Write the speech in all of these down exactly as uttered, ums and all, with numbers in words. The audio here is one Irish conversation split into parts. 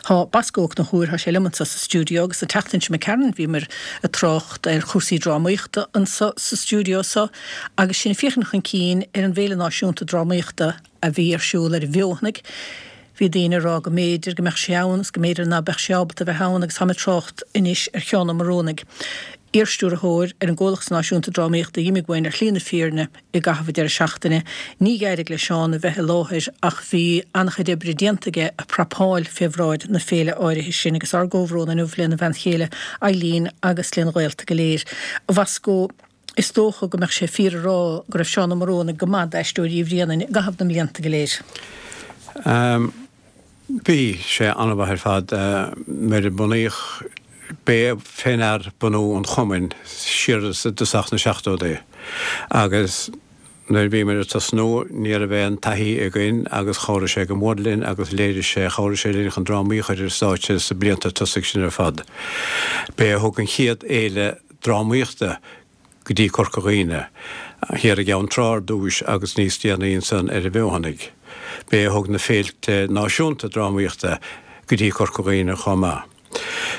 Tá Bosco Ó Conchúir, tá sé liom anso sa stiúideo agus an tseachtain seo imigh tharainn bhíomar ag trácht ar chúrsaí drámaíochta anso sa stiúideo so agus sinn ag féachaint chun cinn ar an bhFéile Náisiúnta Drámaíochta a bhí ar siúl ar an bhFeothanaigh. Bhí daoine ag rá go mb'fhéidir go mbeadh sé ann is go mb'fhéidir ná beadh sé ábalta a bheith ann agus táim ag trácht anois ar Sheán Ó Morónaigh, iarstiúrthóir ar an gComhlacht Náisiúnta Drámaíochta a d'imigh uainn ar shlí na fírinne i gcaitheamh an deireadh seachtaine. Ní d'éirigh le Seán a bheith i láthair ach bhí an-chuid oibre déanta aige ag prapáil fé bhráid na féile áirithe sin agus ár gcomhbhrón inniu lena bhean chéile Eileen agus lena ghaolta go léir. A Bhosco, is dócha go mbeadh sé fíor a rá go raibh Seán Ó Morónaigh go maith d'Aisteoirí Uí Bhraonáin i gcaitheamh na mblianta go léir. Um, bhí sé an-mhaith ar fad nuair a bunaíodh b'é fé ndear bunú an chumainn siar i dtosach na seachtóidí agus nuair a bhíomar ag tosnú ní raibh aon taithí againn agus chabhraigh sé go mór linn agus léirigh sé chabhraigh sé linn chun drámaí a chur ar stáitse sa blianta tosaigh sin ar fad. B'é a thug an chéad fhéile drámaíochta go dtí Corca Dhuibhne, thiar i gCeann Trá ar dtúis agus níos déanaí ansan ar an bhFeothanaigh. B'é a thug na féilte náisiúnta drámaíochta go dtí Corca Dhuibhne chomh maith.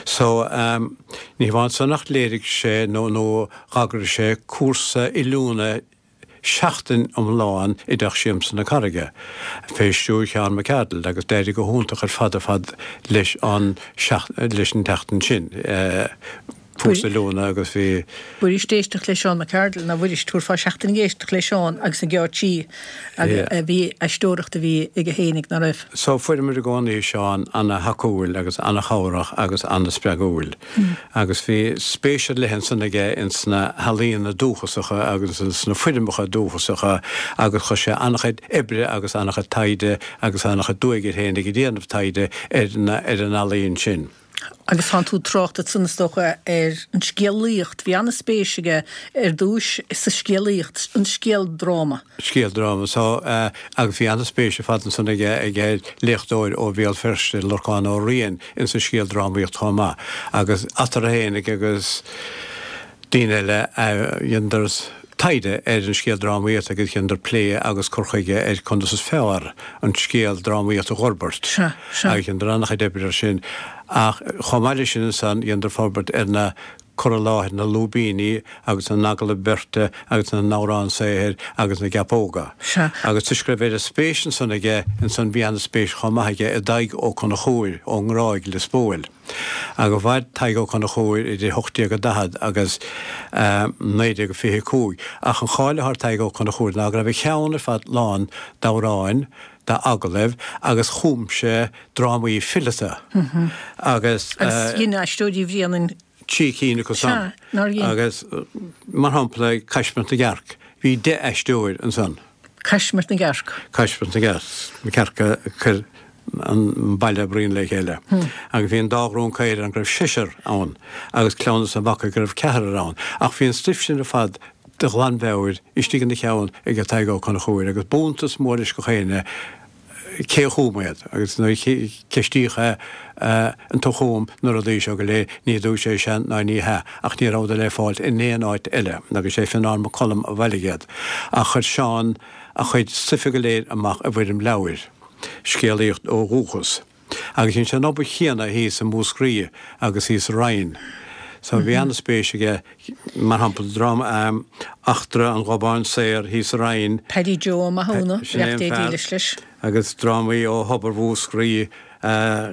So um, ní hamháin san ach léirigh sé nó nó d'eagraigh sé cúrsa oiliúna seachtain iomlán i dTeach Siamsa na Carraige, fé stiúir Sheán McArdle agus d'éirigh go hiontach ar fad ar fad leis an leis an tseachtain sin. Uh, cúrsa oiliúna agus bhí. B'fhuirist éisteacht le Seán McArdle ná b'fhuirist thabharfá seachtain ag éisteacht le Seán agus an geáitsí a bhí aisteoireacht a bhí aige fhéinig ná raibh. So fuaireamar i gcónaí Seán ana-thacúil agus ana-chabhrach agus ana-spreagúil. Agus bhí spéis ar leith ansan aige ins na healaíona dúchasacha agus ins na foirmeacha dúchasacha agus chuir sé an-chuid oibre agus an-chuid taighde agus an-chuid duaigh air féin ag déanamh taighde ar na ar an ealaíon sin. Agus tánn tú ag trácht ansan is dócha ar an scéalaíocht. Bhí an-spéis aige ar dtúis sa scéalaíocht, an scéaldráma. Scéaldráma so agus bhí an-spéis ar fad ansan aige ag léachtóir ó Bhéal Feirste, Lorcán Ó Riain, insa scéaldrámaíocht chomh maith. Agus eatarthu fhéinig agus daoine eile dheineadar taighde ar an scéaldrámaíocht agus dheineadar plé agus cur chuige ar conas is fearr an scéaldrámaíocht a dh'fhorbairt. Sea, sea. Agus dheineadar an-chuid oibre ar sin. Ach chomh maith leis sin ansan dheineadar forbairt ar na cur i láthair na lúibíní agus na n-agallamh beirte agus na n-amhrán saothair agus na gceapóga. Sea. Agus toisc go raibh oiread spéis ansan aige ansan bhí an-spéis chomh maith aige i dTadhg Ó Conchúir ón nGráig Lios Póil. Agus mhair Tadhg Ó Conchúir idir hocht déag a daichead agus naoi déag a fiche a cúig. Ach an cháil atá ar Tadhg Ó Conchúir ná go raibh a cheann ar fad lán d'amhráin, d'agallaimh agus chum sé drámaí fileata agus. Agus dhein Aisteoirí Bhréanainn. trí cinn acu san. Sea, nár dhein. Agus mar shampla Caismirt na gCearc, bhí deich aisteoir ansan. Caismirt na gCearc. Caismirt na gCearc, na cearca a chuir an baile bruíon le chéile. Agus bhí an dá ghrún caor ann go raibh seisear ann agus Cleamhnas an Bhacaigh go raibh ceathrar ann. Ach bhí an stuif sin ar fad de ghlanmheabhair istigh ina cheann ag Tadhg Ó Conchúir agus b'iontas mór leis gach éinne cé a chum iad agus nuair a ceistíodh é an tú a chum na rudaí seo go léir ní dúirt sé sea ná ní hea ach ní rabhadar le fáilt in aon áit eile agus sé Fionán Mac Coluim a bhailigh iad. Ach chuir Seán a chuid stuife go léir amach i bhfoirm leabhair. Scéalaíocht ó dhúchas. Agus dhein sé an obair chéanna thíos i Múscraí agus thíos sa Rinn. So bhí an-spéis aige, mar shampla, dráma Eachtra an Ghobáin Saor thíos sa Rinn. Paddy Joe Ó Mathúna, Sin é beannacht an Dé fear. dílis leis. Agus drámaí ó Thobar Mhúscraí.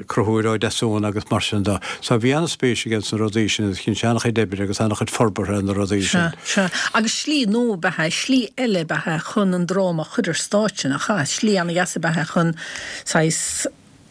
Conchúr Ó Deasúna agus mar sin de. So bhí an-spéis aige sna rudaí sin agus dhein sé an-chuid oibre agus an-chuid forbartha ar na rudaí Sea, sin. sea. Agus slí nua ab ea é, slí eile ab ea é chun an dráma a chur ar stáitse, nach ea? Slí an-dheas ab ea é chun saghas,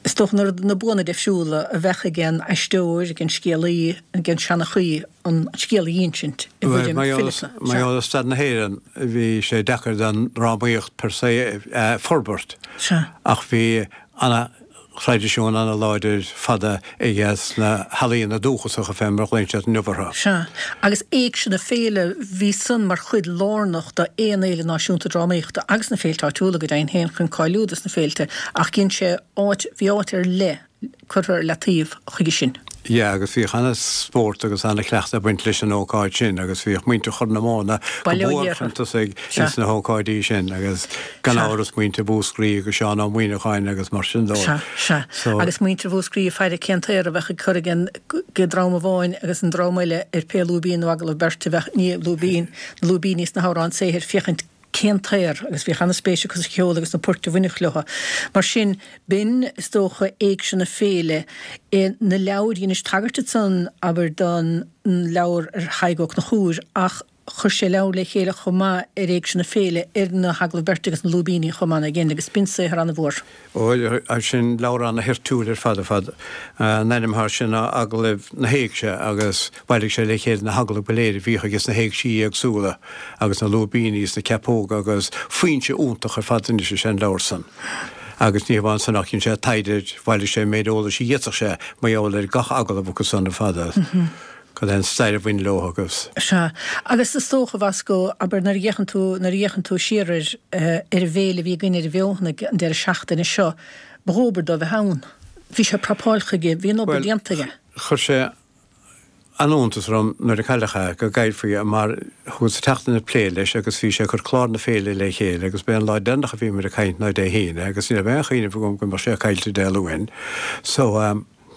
is dócha, na, na buanna difriúla a bheadh ag an aisteoir, ag an scéalaí, ag an seanchaí an scéal a dh'insint i Bhuel, bhfoirm mar gheall, fileata. mar Sea. gheall ar staid na hÉireann, bhí sé deacair don drámaíocht per se a forbairt. Sea. Ach bhí ana thraidisiún ana-láidir fada aige sna healaíona dúchasacha fé mar a ghlaonn siad inniu orthu. Sea, agus Éigse na Féile, bhí san mar chuid lárnach d'aon fhéile náisiúnta drámaíochta agus na féilte áitiúla go deimhin féin chun cáiliú dos na féilte ach dhein sé áit, bhí áit ar leith curtha ar leataobh chuige sin. Yeah, agus bhíodh ana-spórt agus ana-chleachtadh ag baint leis an ócáid sin agus bhíodh muintir Chorr na Móna go Baile Ó mór Iartha. chun tosaigh Sea. ins na hócáidí sin agus gan Sea. amhras muintir Mhúscraí agus Seán Ó Muíneacháin agus mar sin dó. Sea, sea. So- Agus muintir Mhúscraí ag faire cén t-aor a bheadh ag cur ag an go dream amháin agus an dream eile ar pé lúibín nó agallamh beirte a bheadh, ní lúibín, na lúibíní is na hamhráin saothair féachaint cén t-aor agus bhíodh ana-spéis acu sa cheol agus na poirt a bhainfeadh leo. Mar sin, b'in, is dócha, éigse na féile. Na leabhair, dheinis tagairt ansan, abair, don leabhar ar Thadhg Ó Conchúir ach chuir sé leabhar le chéile chomh maith ar éigse na féile, ar na hagallaimh beirte agus na lúibíní chomh maith again agus b'in saothar an-mhór. Ó, sin leabhar ana-thoirtiúil ar fad ar fad. An ainm atá air sin ná Agallaimh na hÉigse agus bhailigh sé le chéile na hagallaimh go léir a bhíodh aige sna héigsí éagsúla agus na lúibíní is na ceapóga agus foinse iontach ar fad anois is ea an leabhar san. Agus ní hamháin san ach dhein sé taighde, bhailigh sé an méid eolais a d'fhéadfadh sé mar gheall ar gach agallamh acu san ar fad. Cad é an stair a bhain leo agus. Sea. Agus is dócha, a Bhosco, abair, nuair a fhéachann tú, nuair a fhéachann tú siar ar, ar an bhféile a bhí againn ar an bhFeothanaigh an deireadh seachtaine seo, ba dhóbair dó bheith ann. Bhí sé prapáilte aige, bhí an obair Bhuel, déanta aige. chuir sé an-iontas orm nuair a cailleadh é, go gcaillfí é, mar chuas sa tseachtain ag plé leis agus bhí sé ag cur clár na féile le chéile agus b'é an lá deireanach a bhíomar ag caint ná Dé hAoine agus ní raibh aon chuimhneamh agam go mbeadh sé caillte Dé Luain. So,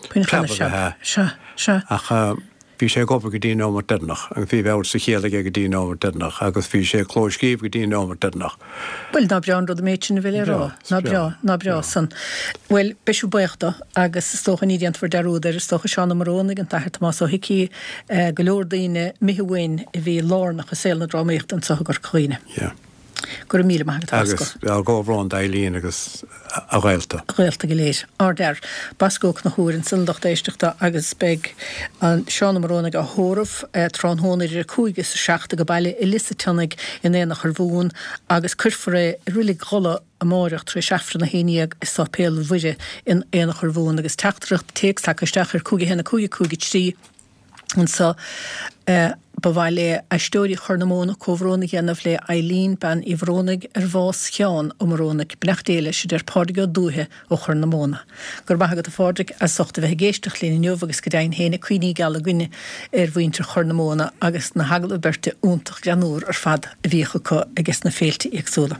Preab ab ea é. Sea. Ach bhí sé ag obair go dtí an nóiméad deireanach agus bhí a mheabhair sa chéill aige go dtí an nóiméad deireanach agus bhí sé ag clóscríobh go dtí an nóiméad deireanach. Bhuel, ná breá an rud an méid sin a bheith le rá. Ná breá, ná breá san. Bhuel, beidh sibh buíoch dó agus is dócha ní déanfar dearúd air, is dócha Seán Ó Morónaigh, an tAthair Tomás Ó hIcí, go leor daoine imithe uainn a bhí lárnach i saol na drámaíochta anseo i gCorca Dhuibhne. Yeah. Go raibh míle maith agat, a Bhosco. Agus ár gcomhbhrón d'Eileen agus a ghaolta. A ghaolta go léir. Ardfhear. Bosco Ó Conchúir ansan, lucht éisteachta agus beidh an Seán Ó Morónaigh á thórramh tráthnóna idir a cúig is a seacht age baile i Lios a' tSionnaigh in Aonach Urmhumhan agus cuirfear é i Reilig Dhola amáireach tar éis Aifreann a haon dhéag i Sáipéal Mhuire in Aonach Urmhumhan agus teachtaireacht téacs tagtha isteach ar cúig a haon a cúig a cúig a trí Anso, ba mhaith le Aisteoirí Chorr na Móna comhbhrón a dhéanamh le Eileen, Bean Uí Mhorónaigh, ar bhás Sheáin Ó Morónaigh. Beannacht Dé leis, a deir Pádraig Ó Dúiche ó Chorr na Móna. Go raibh maith agat a Phádraig as ucht a bheith ag éisteacht linn inniu agus go deimhin féin cuimhní geala againne ar mhuintir Chorr na Móna agus na hagallaimh beirte iontach greannmhar ar fad a bhíodh acu ages na féilte éagsúla.